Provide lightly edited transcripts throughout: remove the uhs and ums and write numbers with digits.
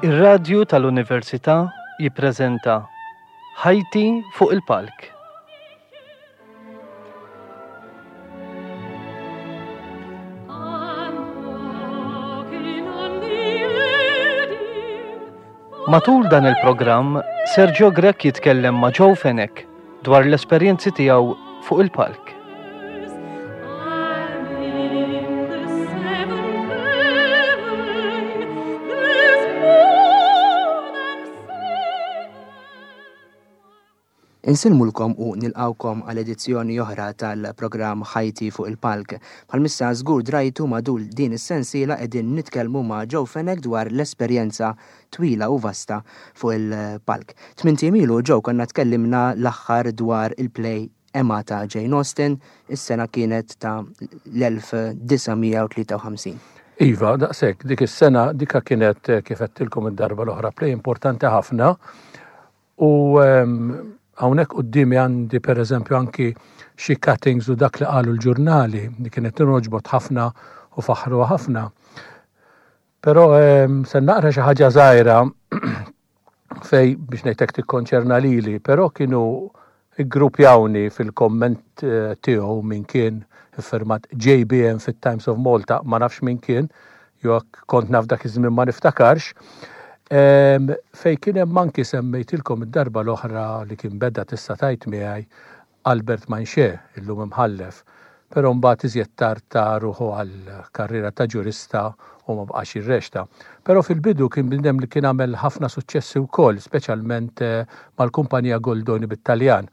Ir-Radju tal-Università jippreżenta Ħajti fuq il-Palk. Matul dan il-programm, Sergio Grech jitkellem ma' Joe Fenech dwar l-esperjenzi tiegħu fuq il-palk. Insellmulkom u nilqgħukom għal edizzjoni oħra tal-programm Ħajti fuq il-Palk. Bħalmissa żgur drajtu matul din is-sensiela qegħdin nitkellmu ma' Joe Fenech dwar l-esperjenza twila u vasta fuq il-palk. Tmint ijiem ilu Joe konna tkellimna l-aħħar dwar il-play Emma ta' Jane Austen, is-sena kienet ta' l-1953. Iva, daqshekk, dik is-sena dika kienet kif għedtilkom id-darba l-oħra play importanti ħafna u hawnhekk quddiemi għandi pereżempju anki xi cuttings u dak li qalu l-ġurnali li kienet tinroġbot ħafna u faħruha ħafna. Però se naqra xi ħaġa żgħira fej biex ngħidlek tikkonċerna lili, però kienu ggruppjawni fil-komment eh, tiegħu min kien iffirmat JBM fit-Times of Malta, ma nafx min kien, jew kont naf dak iż-żmien ma niftakarx. Fej kien hemm anki semmejtilkom id-darba l-oħra li kien beda tista' tajt miegħi Albert Manché, illum imħallef, però mbagħad iżjed tard ta ruħu għall-karriera ta' ġurista u ma baqax jirreċta. Però fil-bidu kien bniedem li kien għamel ħafna suċċessi wkoll, speċjalment mal-kumpanija Goldoni bit-Taljan.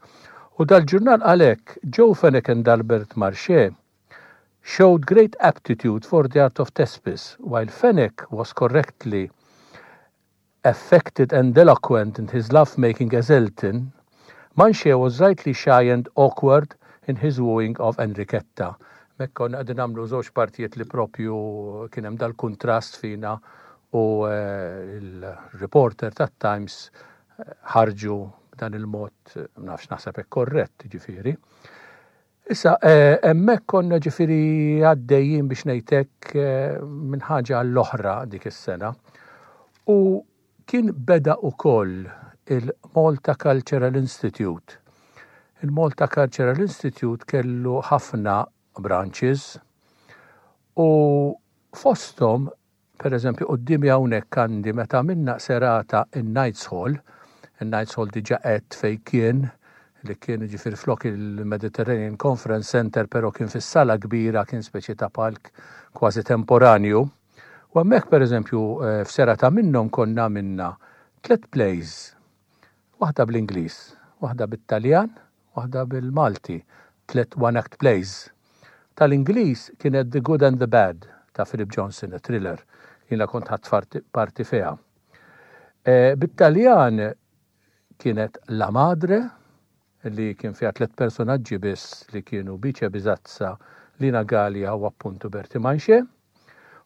U dal-ġurnal qal hekk, Joe Fenech and Albert Marché showed great aptitude for the art of Thespis, while Fenech was correctly affected and eloquent in his love-making as Elton, Manche was rightly shy and awkward in his wooing of Enrichetta. Hemmhekk konna qegħdin nagħmlu żewġ partijiet li propju kien hemm dal-kuntrast fina u eh, il-reporter tat-Times eh, ħarġu b'dan il-mod, nafx naħseb hekk korrett, ġifieri. Issa, eh, hemmhekk konna ġifieri għaddejjin biex ngħidlek eh, minn ħaġa għall-oħra dik is-sena. U kien beda ukoll il-Malta Cultural Institute. Il-Malta Cultural Institute kellu ħafna branches u fosthom Per eżempju, quddiemi hawnhekk għandi meta għamilna serata in-Knights Hall, in-Knights Hall diġà għedt fejn kien, li kien jiġifieri flok il-Mediterranean Conference Centre però kien fis-sala kbira, kien speċi ta' palk kważi temporanju. U hemmhekk per eżempju f'serata minnhom konna għamilna tlett plays, waħda bl-Ingliż, waħda bit-Taljan Waħda bil-Malti, tlett one-act plays. Tal-Ingliż kienet The Good and the Bad ta' Philip Johnson, a thriller, li jiena kont ħadt parti fiha. Bit-Taljan kienet La Madre, li kien fiha tlett personaġġi biss li kienu Bice Bisazza, Lina Galea u appuntu Bertie Manché.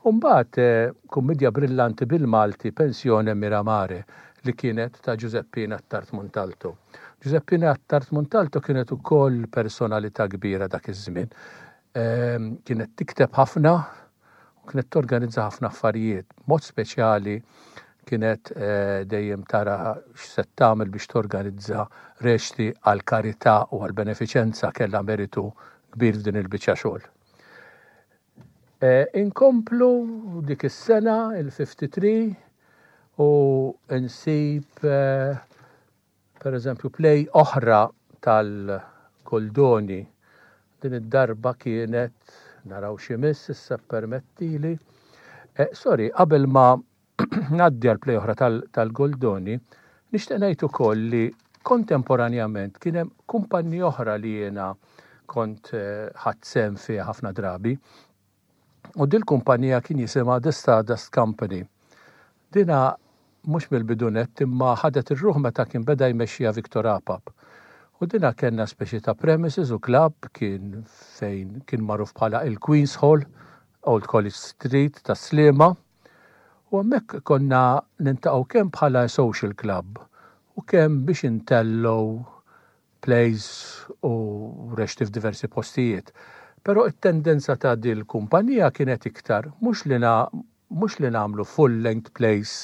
U mbagħad kummidja brillanti bil-Malti Pensione Miramare li kienet ta' Giuseppina Attard Montalto. Giuseppina Attard Montalto kienet ukoll personalità kbira dak iż-żmien. Kienet tikteb ħafna u kienet torganizza ħafna affarijiet. Mod speċjali kienet dejjem tara x'se tagħmel biex torganizza reċti għall-karità u għall-benefiċenza kellha meritu kbir f'din il-biċċa xogħol. Inkomplu dik is-sena, il-53, u nsib per eżempju play oħra tal-Goldoni. Din id-darba kienet, naraw x'imiss issa ppermettili. Sorry, qabel ma ngħaddi għal play oħra tal-Goldoni, nixtieq ngħid ukoll li kontemporanjament kien hemm kumpanni oħra li jiena kont eh, ħadt sehem fiha ħafna drabi. U dil-kumpanija kien jisimha The Stardust Company. Dina mhux mill-bidu nett imma ħadet ir-ruħ meta kien beda jmexxiha Victor Apap. U dina kellna speċi ta' premises u club kien fejn kien magħruf bħala il-Queen's Hall, Old College Street ta' Sliema. U hemmhekk konna nintaqgħu kemm bħala social club u kemm biex intellgħu plays u reċti f'diversi postijiet. Però it-tendenza ta' dil-kumpanija kienet iktar mhux li mhux li nagħmlu full length plays.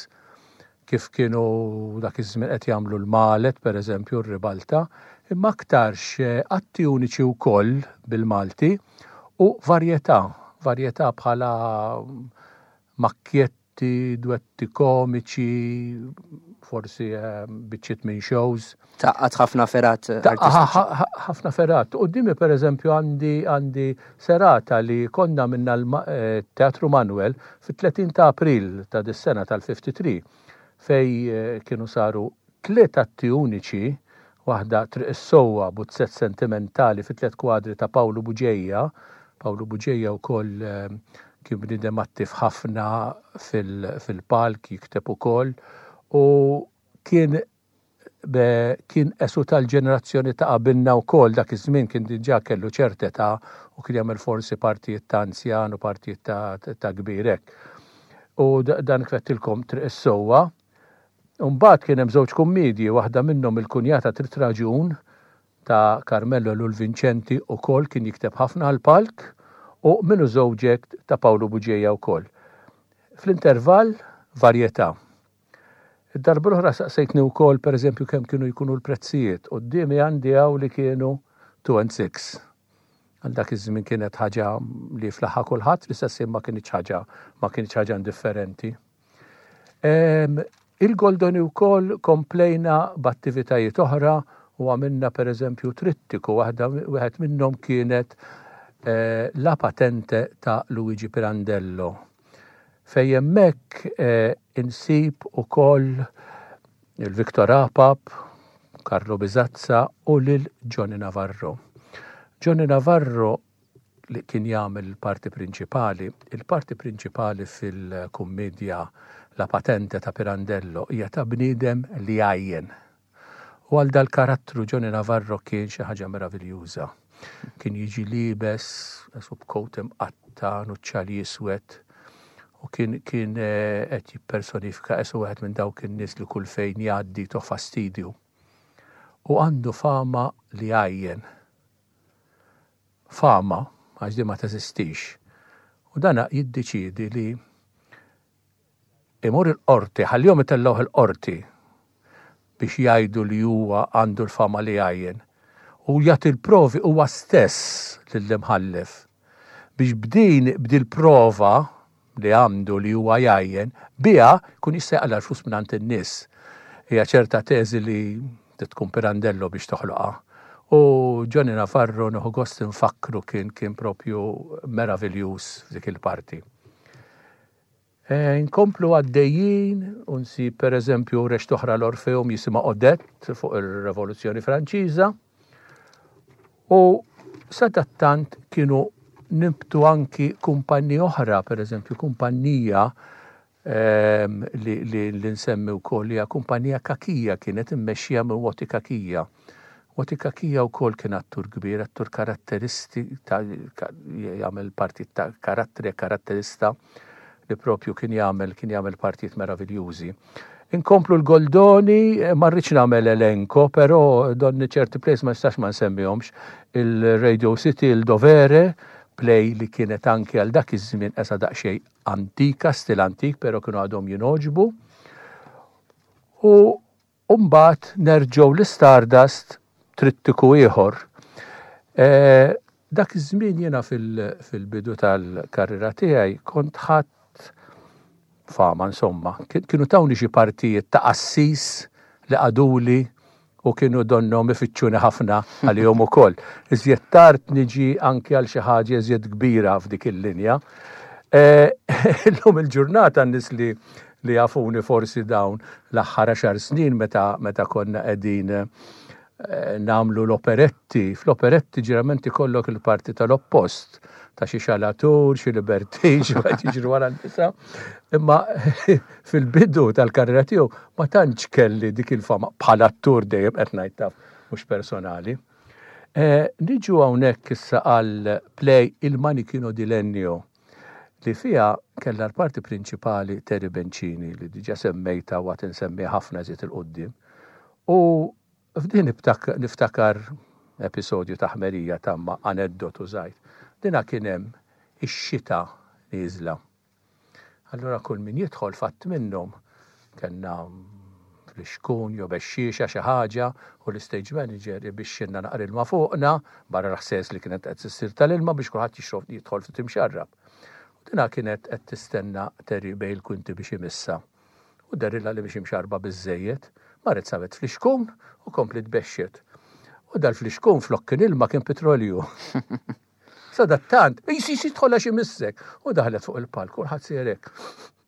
kif kienu dak iż-żmien qed jagħmlu l-Malet, pereżempju, r-Ribalta, imma aktarx atti uniċi wkoll bil-Malti u varjetà, varjetà bħala makkjetti, dwetti komiċi, forsi biċċiet minn shows. Tgħaqqad ħafna fergħat artistiċi. Ħafna fergħat. Quddiemi pereżempju għandi għandi serata li konna għamilna l-Teatru Manuel fit-30 ta' April ta' dis-sena tal-53 fejn kienu saru tliet atti uniċi, waħda Triq is-Sewwa, buzzett sentimentali fi tliet kwadri ta' Pawlu Bugeja. Pawlu Bugeja wkoll kien bniedem attiv ħafna fil-palk, jikteb ukoll u kien kien qesu tal-ġenerazzjoni ta' qabilna wkoll dak iż-żmien kien diġà kellu ċerta età u kien jagħmel forsi partijiet ta' anzjan u partijiet ta' kbir hekk. U dan kif għedtilkom Triq is-Sewwa. U mbagħad kien hemm żewġ kummiedji, waħda minnhom Il-Kunjata Trid Raġun ta' Carmelo Ellul Vincenti ukoll kien jikteb ħafna għall-palk u Min hu Żewġek ta' Pawlu Bugeja wkoll. Fl-intervall varjetà. Id-darba l-oħra saqsejtni wkoll pereżempju kemm kienu jkunu l-prezzijiet. Quddiemi għandi hawn li kienu 2 and 6. Għal dak iż-żmien kienet ħaġa li flaħha kulħadd, fl-istess ħin ma kinitx ħaġa ma kinitx ħaġa indifferenti. Il-Goldoni wkoll komplejna b'attivitajiet oħra u għamilna pereżempju trittiku waħda wieħed minnhom kienet eh, La Patente ta' Luigi Pirandello. Fejn hemmhekk insib ukoll il-Victor Apap, Carlo Bisazza u lil Johnny Navarro. Johnny Navarro li kien jagħmel il-parti prinċipali, il-parti prinċipali fil-kummedja La Patente ta' Pirandello hija ta' bniedem li jgħajjen. U għal dal-karattru Johnny Navarro kien xi ħaġa meraviljuża. Kien jiġi liebes, esu b'kowt imqatta, nuċċali iswed, u kien kien eh, qed jippersonifika esu wieħed minn dawk in-nies li kull fejn jgħaddi toh fastidju. U għandu fama li għajjen. Fama, għax di ma teżistix. U dana jiddeċiedi li Imur il-qorti, ħallihom itellgħuh il-qorti biex jgħidu li huwa għandu l-fama li jgħajjen. U jagħti l-provi huwa stess lill-imħallef biex b'din b'dil-prova li għandu li huwa jgħajjen, biha jkun jista' jaqla' l-flus mingħand in-nies. Hija ċerta teżi li trid tkun Pirandello biex toħloqha. U Johnny Navarro nieħu gost infakkru kien kien propju meraviljuż f'dik il-parti. Inkomplu għaddejjin u nsib pereżempju reċta oħra l-Orfeum jisimha Odette fuq ir-Revoluzzjoni Franċiża. U sadattant kienu nibtu anki kumpanni oħra, pereżempju kumpanija ehm, li, li, li nsemmi wkoll hija kumpanija Kakija kienet immexxija minn Woti Kakija. Woti Kakija wkoll kien attur kbir, attur karatteristi, ta' jagħmel partijiet ta' karattri, karatterista li propju kien jagħmel kien jagħmel partijiet meraviljużi. Inkomplu l-Goldoni, eh, ma rridx nagħmel elenko, però donni ċerti plays ma nistax ma nsemmihomx. Il-Radio City, il-Dovere, play li kienet anki għal dak iż-żmien qesa daqsxejn antika, stil antik, però kienu għadhom jingħoġbu. U U mbagħad nerġgħu l-Istardust trittiku ieħor. Dak iż-żmien jiena fil-bidu tal-karriera tiegħi kont ħadt fama insomma. Kienu tawni xi partijiet ta' qassis li qaduli u kienu donnhom ifittxuni ħafna għalihom ukoll. Iżjed tard niġi anki għal xi ħaġa iżjed kbira f'dik il-linja. Illum il-ġurnata n-nies li li jafuni forsi dawn l-aħħar għaxar snin meta meta konna qegħdin eh, nagħmlu l-operetti. Fl-operetti ġerament ikollok il-parti tal-oppost ta' xi xalatur, xi libertin, xi wieħed jiġri wara n-nisa. Imma fil-bidu tal-karriera tiegħu ma tantx kelli dik il-fama bħala attur dejjem qed ngħid taf mhux personali. Eh, niġu hawnhekk issa għal play Il Manichino di Legno li fiha kellha l-parti prinċipali Terry Bencini li diġà semmejtha u għad insemmiha ħafna iżjed 'il quddiem. U f'din niftakar episodju ta' ħmerija ta' imma aneddotu żgħir. Dinha kien hemm ix-xita nieżla. Allura kull min jidħol fatt minnhom. Kellna flixkun jew bexxiexa xi ħaġa u l-istage manager ibixxilna naqra ilma fuqna, barra l-ħsejjes li kienet qed issir tal-ilma biex kulħadd jixrob jidħol ftit imxarrab. U dinha kienet qed tistenna Terry bejn il-kwinti biex imissha. U dehrilha li mhix imxarrba biżżejjed. Marret sabet flixkun u kompliet bexxet. U dal-flixkun flok kien ilma kien pitrolju. Sadattant, qis qis idħol għax imissek. U daħlet fuq il-palk, kulħadd sejjer hekk.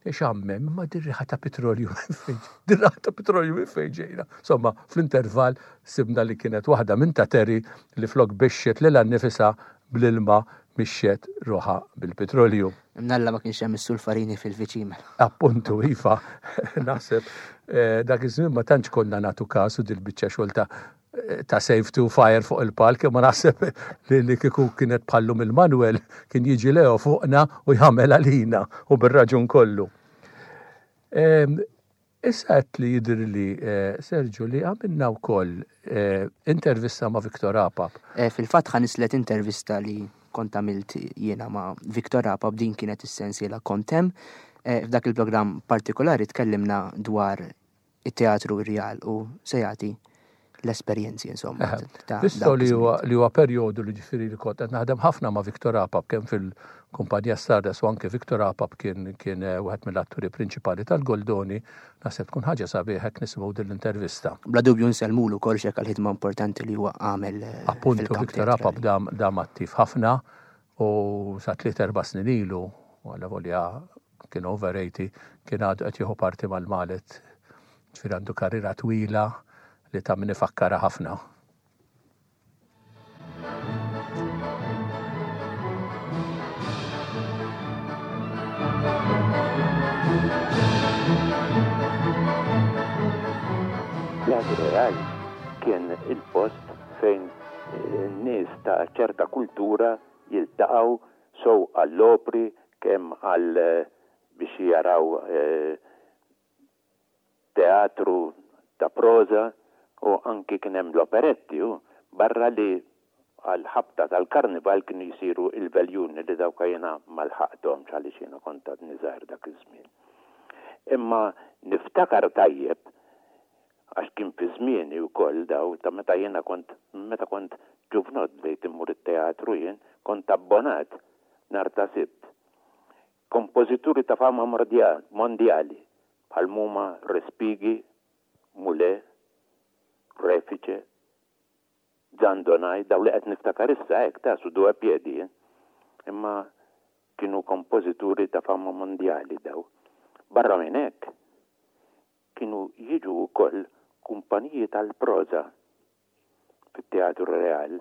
Ixammem, imma dir-riħa ta' pitrolju minn fejn, dir-riħa ta' pitrolju minn fejn ġejna. Insomma, fl-intervall sibna li kienet waħda minn ta' Terry li flok bixxet lilha nnifisha bl-ilma mixxet ruħha bil-pitrolju. Imnalla ma kienx hemm is-sulfarini fil-viċin mela. Appuntu, iva, naħseb eh, dak iż-żmien ma tantx konna nagħtu kasu dil-biċċa xogħol ta' ta' save to fire fuq il-palk, imma naħseb li, li kieku kienet bħallum il-Manuel kien jiġi Leo fuqna u jagħmel għalina u bir-raġun kollu. Issa qed li jidhirli eh, Sergio li għamilna wkoll eh, intervista ma' Victor Apap. Eh, fil-fatt ħa nislet intervista li kont għamilt jiena ma' Victor Apap din kienet is-sensiela kont hemm. F'dak il-programm partikolari tkellimna dwar it-teatru rjal u se jagħti l-esperjenzi insomma. Visto li huwa li huwa perjodu li ġifieri li kont qed naħdem ħafna ma' Victor Apap kemm fil-kumpanija Stardust u anke Victor Apap kien kien eh, wieħed mill-atturi prinċipali tal-Goldoni, naħseb tkun ħaġa sabiħ hekk nisimgħu din l-intervista. Bla dubju nsellmulu wkoll xek għall-ħidma importanti li huwa għamel. Eh, Appuntu Victor Apap dam dam attiv ħafna u sa tliet erba' snin ilu, għalla volja kien over 80, kien għadu qed jieħu parti mal-Malet. Ġifieri għandu karriera twila li ta' min ifakkarha ħafna. Teatru Real kien il-post fejn nies ta' ċerta kultura jiltaqgħu sew għall-opri kemm għal biex jaraw teatru ta' proża u anki kien hemm l-operetti u barra li għall-ħabta tal-karnival kienu jsiru il-veljuni li dawk jiena ma lħaqthomx għaliex jiena kont għadni żgħir dak iż-żmien. Imma niftakar tajjeb għax kien fi żmieni wkoll daw ta' meta jiena kont meta kont ġuvnott bdejt immur it-teatru jien, kont abbonat nhar ta' Sibt. Kompożituri ta' fama mondjali bħal m'huma Respighi, Mulet, Refice, Zandonai, dawn li qed niftakar issa hekk ta' su due piedi jien. Imma kienu kompożituri ta' fama mondjali daw. Barra minn hekk, kienu jiġu wkoll kumpaniji tal-proża fit-Teatru Real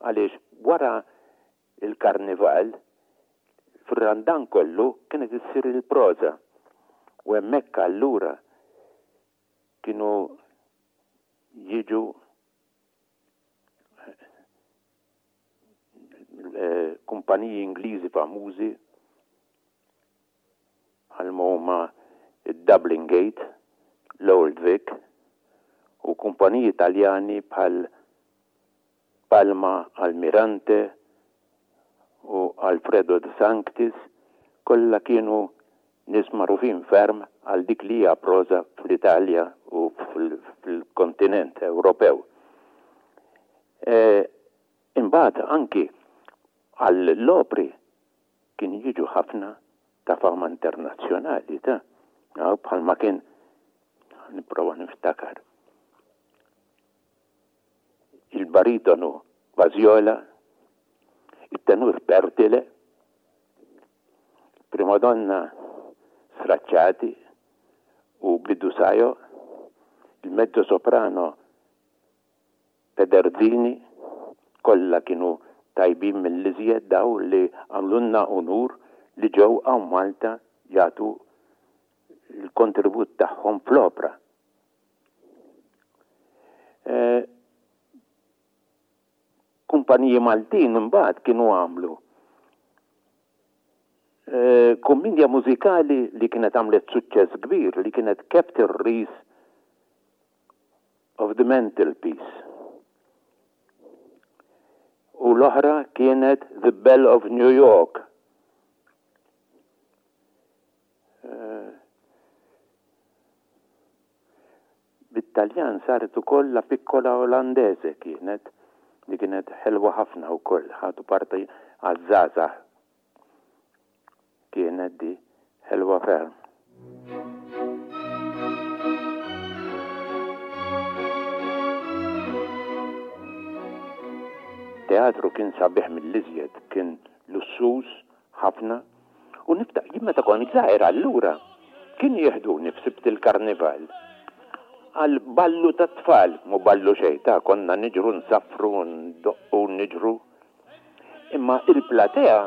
għaliex wara l-Karnival fir-Randan kollu kienet issir il-proża u hemmhekk allura kienu jiġu kumpaniji Ingliżi famużi bħalma huma d-Dublin Gate, l-Old Vic u kumpaniji Taljani bħal Palma Almirante u Alfredo De Sanctis, kollha kienu nies magħrufin ferm għal dik li hija proża fl-Italja u fil-kontinent Ewropew. Imbagħad anki għall-opri Kienu jiġu ħafna ta' fama internazzjonali ta' bħalma kien nipprova niftakar il-baritonu Baziola, it-tenur Pertile, il-primadonna Stracciati u Bidusajo, il-mezzo soprano Pederzini, kollha kienu tajbin mill-iżjed dawn li għamlulna unur li ġew hawn Malta jagħtu l-kontribut tagħhom fl-opra. Kumpaniji Maltin imbagħad kienu għamlu kummedja mużikali li kienet għamlet suċċess kbir li kienet Captain Rees of the Mantelpiece u l-oħra kienet The Belle of New York. Bit-Taljan saret ukoll La Piccola Olandese kienet, li kienet ħelwa ħafna wkoll, ħadu parti għaż-żgħażagħ kienet di, ħelwa ferm. Teatru kien sabiħ mill-iżjed, kien lussuż ħafna U niftakar, jien meta kont żgħir allura kienu jeħduni f'Sibt il-Karnival għal ballu tat-tfal, mhu ballu xejn ta' konna niġru nsaffru u ndoqqu u niġru. Imma il-platea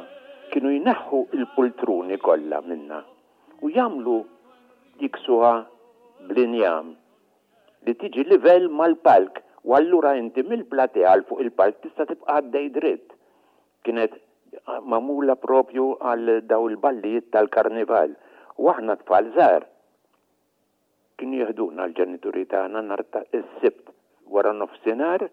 kienu jneħħu l-pultruni kollha minnha u jagħmlu jiksuha bl-injam li tiġi livell mal-palk u allura inti mill-platea għal fuq il-palk tista' tibqa' għaddej dritt. Kienet magħmula propju għal dawn il-ballijiet tal-karnival u aħna tfal żgħar kienu jeħduna l-ġenituri tagħna nhar ta' is-Sibt wara nofsinhar,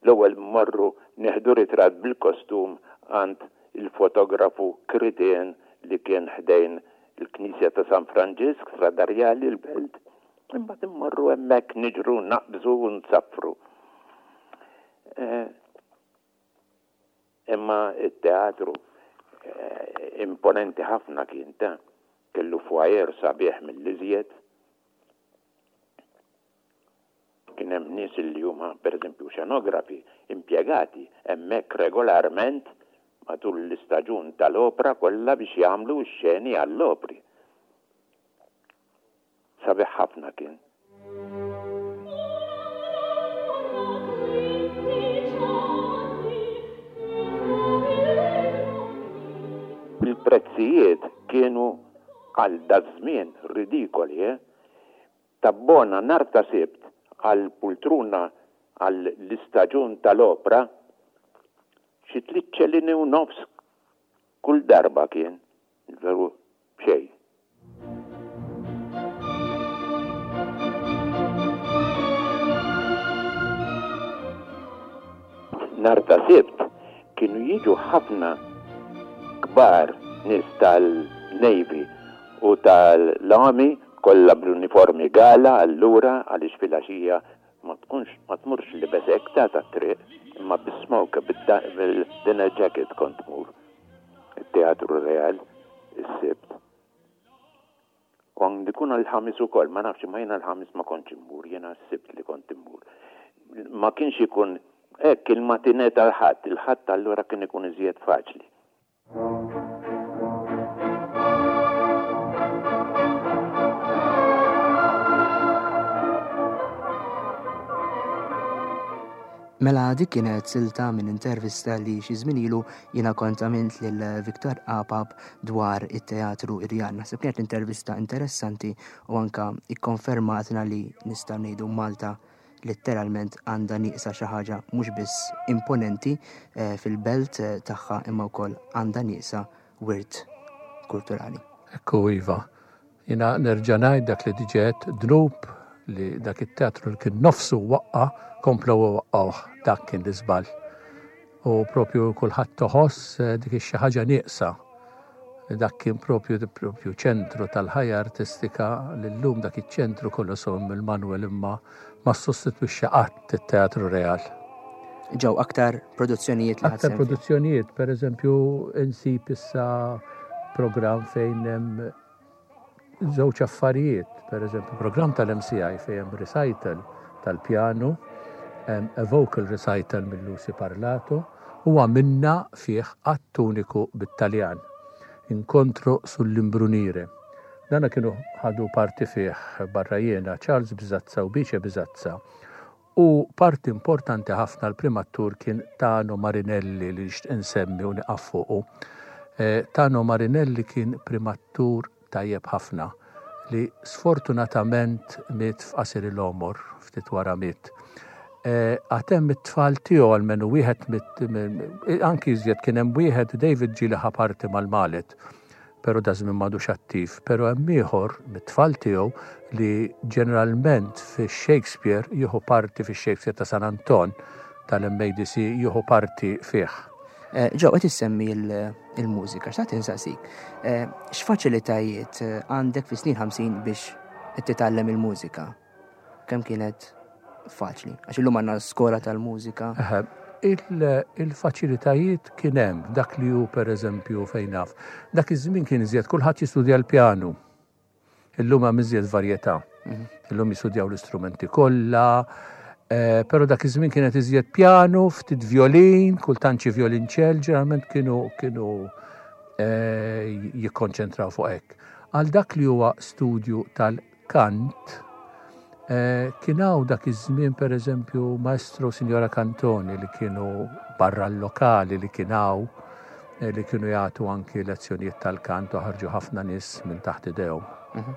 l-ewwel mmorru nieħdu ritratt bil-kostum għand il-fotografu Kritin li kien ħdejn il-Knisja ta' San Franġisk, Strada Rjali, l-Belt, imbagħad immorru hemmhekk niġru, naqbżu u nsaffru. Imma t-teatru imponenti ħafna kien ta'. Kellu foyer sabiħ mill-iżjed. Kien hemm nies li huma pereżempju xenografi impjegati hemmhekk regolarment matul l-istaġun tal-opra kollha biex jagħmlu x-xeni għall-opri. Sabiħ ħafna kien. Il-prezzijiet kienu għal daż-żmien ridikoli, eh! Tabbona nhar ta' Sibt għal pultruna għal l-istaġun tal-opra xi tliet ċelini u nofs kull darba kien, veru b'xejn. Nhar ta' Sibt kienu jiġu ħafna kbar nies tal-Navy u tal-Army kollha bl-uniformi gala allura għaliex filgħaxija ma tkunx ma tmurx libes hekk ta' tat-triq imma bis-smoke bil-dinner jacket kont tmur it-Teatru Real is-Sibt. U għandu jkun għall-Ħamis ukoll, ma nafx imma jiena l-Ħamis ma kontx immur, jiena s-Sibt li kont immur. Ma kienx ikun hekk il-matinè tal-Ħadd, il-Ħadd allura kien ikun iżjed faċli. Mela dik kienet silta minn intervista li xi żmien ilu jiena kont għamilt lil Victor Apap dwar it-teatru Irjan. Naħseb kienet intervista interessanti u anka ikkonfermatna li nistgħu ngħidu Malta letteralment għandha nieqsa xi ħaġa mhux biss imponenti eh, fil-belt eh, tagħha imma wkoll għandha nieqsa wirt kulturali. Ekku iva. Jiena nerġa' ngħid dak li diġà għedt, dnub li dak it-teatru li kien nofsu waqqa' komplew iwaqqgħuh, dak kien l-iżball. U propju kulħadd toħoss eh, dik ix-xi ħaġa nieqsa. Dak kien propju propju ċentru tal-ħajja artistika li llum dak iċ-ċentru kollu sew mill-Manuel imma ma ssostitwixxa qatt it-Teatru Real. Ġew aktar produzzjonijiet li Aktar produzzjonijiet, per eżempju, insib issa programm fejn hemm żewġ affarijiet, per eżempju, programm tal-MCI fejn hemm recital tal-pjanu, a vocal recital minn Lucy Parlato, u għamilna fih att uniku bit-Taljan, Incontro sull'imbrunire. Dana kienu ħadu parti fih barra jiena Charles Bisazza u Bice Bisazza u parti importanti ħafna l-prim attur kien Tano Marinelli li nixtieq insemmi u nieqaf fuqu. Eh, Tano Marinelli kien prim attur tajjeb ħafna li sfortunatament miet f'qasir il-għomor, ftit wara miet. Eh, għad hemm it-tfal tiegħu almenu wieħed anki iżjed kien hemm wieħed David ġieli ħa parti mal-Malet pero daż-żmien m'għadux attiv, pero hemm ieħor mit-tfal tiegħu li ġeneralment fix-Shakespeare jieħu parti fix-Shakespeare ta' San Anton tal-MADC jieħu parti fih. Eh, Ġo, qed issemmi il-mużika, xtaqt insaqsik. Eh, x'faċilitajiet eh, għandek fi snin 50 biex titgħallem il-mużika? Kemm kienet? faċli? Għax illum għandna skola tal-mużika. Il-faċilitajiet kien hemm dak li hu pereżempju fejn naf. Dak iż-żmien kien iżjed kulħadd jistudja l-pjanu. Illum hemm iżjed varjetà. Mhm. Illum jistudjaw l-istrumenti kollha, eh, però dak iż-żmien kienet iżjed pjanu, ftit violin, kultant xi violinċell, ġeneralment kienu kienu eh, jikkonċentraw fuq hekk. Għal dak li huwa studju tal-kant, eh, kien hawn dak iż-żmien pereżempju Maestro Signora Cantoni li kienu barra l-lokali li kien hawn eh, li kienu jagħtu anki lezzjonijiet tal-kant u ħarġu ħafna nies minn taħt idejhom. Mhm.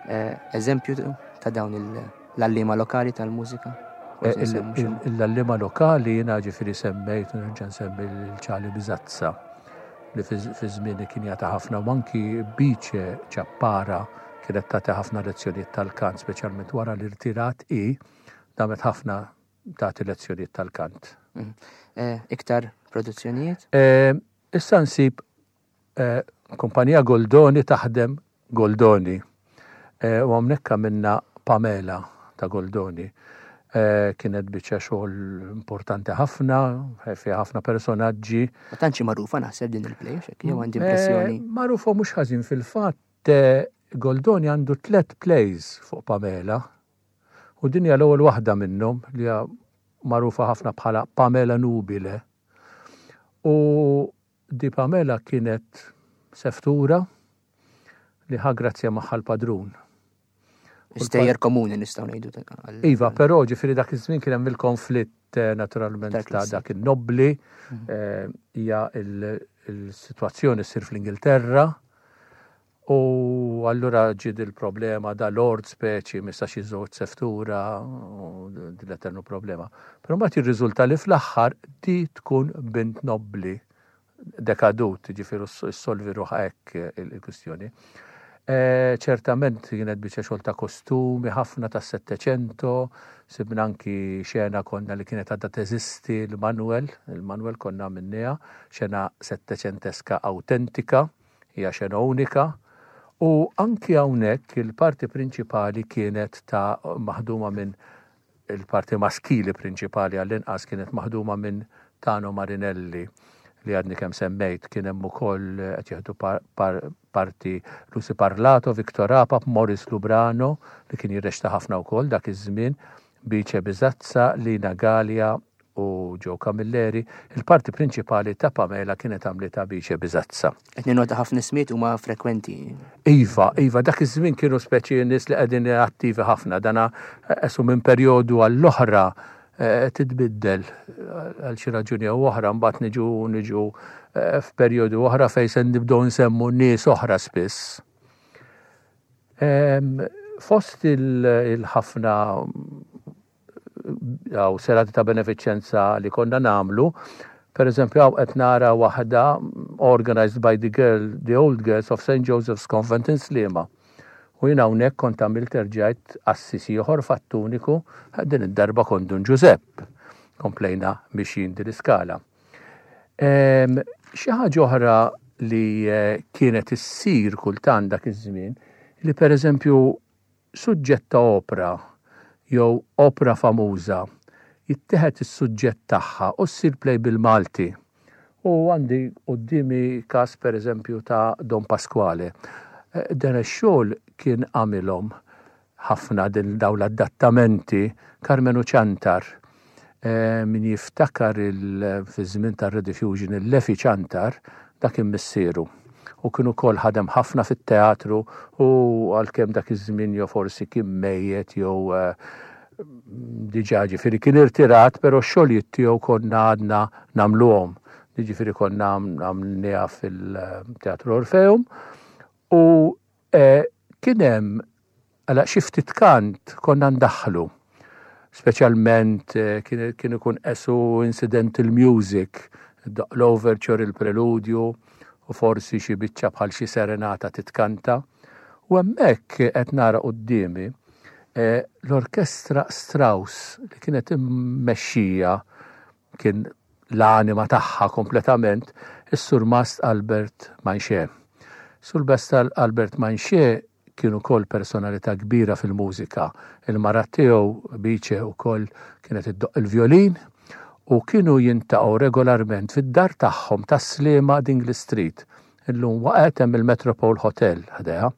Eh, eżempju ta' dawn l-allima lokali tal-mużika? L-allima lokali jiena ġifieri semmejt nerġa' nsemmi l-ċali Biżazza li fi żmieni kien jagħti ħafna u anki Bice Ċappara kienet tagħti ħafna lezzjonijiet tal-kant, speċjalment wara li rtirat hi damet ħafna tagħti lezzjonijiet tal-kant. Mhm. Eh, iktar produzzjonijiet? Eh, issa nsib eh, kumpanija Goldoni taħdem Goldoni. U hawnhekk għamilna Pamela ta' Goldoni. Kienet biċċa xogħol importanti ħafna, fiha ħafna personaġġi. Ma tantx hi magħrufa naħseb din il-play, x'hekk jew għandi impressjoni. Magħrufa mhux ħażin fil-fatt Goldoni għandu tlett plays fuq Pamela. U din hija l-ewwel waħda minnhom li hija magħrufa ħafna bħala Pamela Nubile. U Di Pamela kienet seftura li ħa grazzja magħha l-padrun. Stejjer komuni nistgħu ngħidu. Iva, però ġifieri dak iż-żmien kien hemm il-konflitt eh, naturalment ta' dak in-nobbli, mhm. eh, hija il-sitwazzjoni ssir fl-Ingilterra U allura ġie dil-problema da lord speċi ma jistax jiżżewweġ seftura u din l-eternu problema. Però mbagħad jirriżulta li fl-aħħar di tkun bint nobbli dekadut, jiġifieri ssolvi ruħha hekk il-kwistjoni. Ċertament kienet biċċa xogħol ta' kostumi ħafna tas-Settecento, sibna anki xena konna li kienet għadha teżisti l-Manuel, il-Manuel konna għamilniha, xena setteċenteska awtentika. Hija xena unika u anki hawnhekk il-parti prinċipali kienet ta' maħduma minn il-parti maskili prinċipali għall-inqas kienet maħduma minn Tano Marinelli li għadni kemm semmejt kien hemm ukoll qed jieħdu parti Lucy Parlato, Victor Apap, Morris Lubrano li kien jirrexta ħafna wkoll dak iż-żmien, Bice Bizazza, Lina Galea u Joe Camilleri, il-parti prinċipali ta' Pamela kienet għamlitha Bice Bizazza. Qed ninnota ħafna ismijiet huma frekwenti. Iva, iva, dak iż-żmien kienu speċi nies li qegħdin attivi ħafna, dana esu minn perjodu għall-oħra eh, titbiddel għal xi raġuni jew oħra, mbagħad niġu niġu eh, f'perjodu oħra fejn se nibdew nsemmu nies oħra spiss. Fost il-ħafna Hawn serati ta' benefiċenza li konna nagħmlu. Per eżempju, hawn qed nara waħda organized by the girl, the old girls of St. Joseph's Convent in Sliema. U jien hawnhekk kont għamilt erġajt qassis ieħor fattuniku, din id-darba kont Dun Ġużepp. Komplejna mixjin din l-iskala. Xi ħaġa oħra li eh, kienet issir kultant dak iż-żmien, li pereżempju suġġett ta' opra jew opra famuża jittieħed is-suġġett tagħha u ssir play bil-Malti. U għandi quddiemi każ per eżempju ta' Don Pasquale. Dan ix-xogħol kien għamilhom ħafna din dawn l-adattamenti Karmenu Ciantar. Min jiftakar fiż-żmien tar-Rediffusion il-Lefi Ciantar, dak kien missieru. U kien ukoll ħadem ħafna fit-teatru u għalkemm dak iż-żmien jew forsi kien mejjet jew diġà ġifieri kien irtirat, però x-xogħlijiet tiegħu konna għadna nagħmluhom. Jiġifieri konna għamilniha fil-Teatru Orfeum u kien hemm Għala xi ftit kant konna ndaħħlu. Speċjalment kien ikun qesu incidental music, l-overture, il-preludju u forsi xi biċċa bħal xi serenata titkanta. U hemmhekk qed nara quddiemi l-orkestra Strauss li kienet immexxija kien l-anima tagħha kompletament is-Surmast Albert Manché. Surmast Albert Manché. kien ukoll personalità kbira fil-mużika. Il-mara tiegħu, Bice, ukoll kienet iddoqq il-vjolin u kienu jintaqgħu regolarment fid-dar tagħhom tas-Sliema Dingley Street. Illum waqgħet hemm il-Metropole Hotel ħdejha.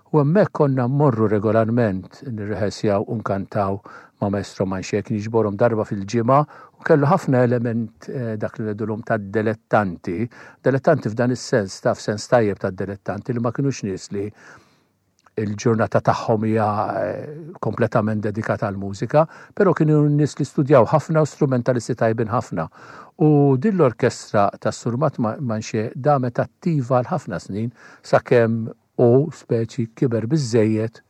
U hemmhekk konna mmorru regolarment nirrehersjaw u nkantaw ma' Maestro Manché, kien jiġborhom darba fil-ġimgħa u kellu ħafna element dak li ngħidulhom tad-delettanti, delettanti f'dan is-sens, taf sens tajjeb tad-delettanti li ma kinux nies li il-ġurnata tagħhom hija kompletament dedikata għall-mużika, però kienu nies li studjaw ħafna u strumentalisti tajbin ħafna. U din l-orkestra tas-Sur Manché damet attiva għal ħafna snin sakemm hu speċi kiber biżżejjed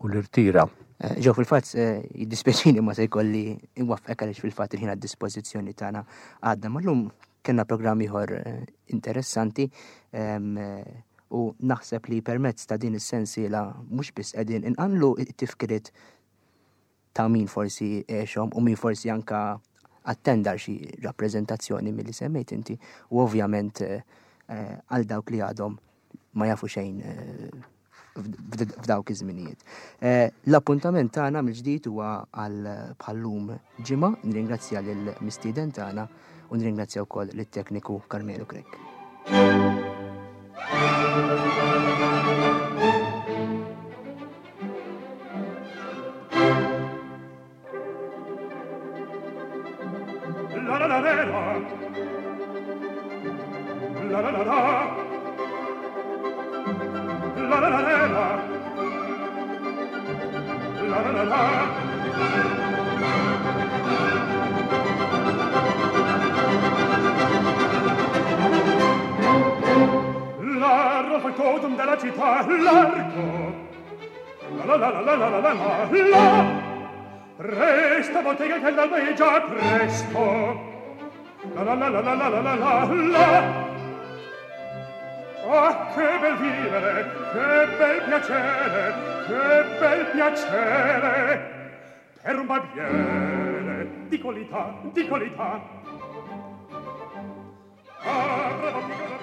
u l-irtira. Ġew fil-fatt jiddispjaċini ma se jkolli nwaffqek għaliex fil-fatt il-ħin għad-dispożizzjoni tagħna għadda. Ma llum kellna programm ieħor interessanti u naħseb li permezz ta' din is-sensiela mhux biss qegħdin inqanlu t-tifkiriet ta' min forsi għexhom u min forsi anka attenda xi rappreżentazzjoni milli semmejt inti u ovvjament eh, għal dawk li għadhom ma jafu xejn eh, f'dawk iż-żminijiet. Eh, l-appuntament tagħna mill-ġdid huwa għal bħallum ġimgħa, nirringrazzja lill-mistieden tagħna u nirringrazzja wkoll lit-tekniku Carmelo Grech. La la la la la la la la La la la la la La la la la La rosa codum della città l'arco La la la la la la la la la Resta bottega che l'alba è già presto La la la la la la la la la la Ah, che bel vivere, che bel piacere, che bel piacere Per un barbiere di qualità, di qualità Ah, bravo figlio.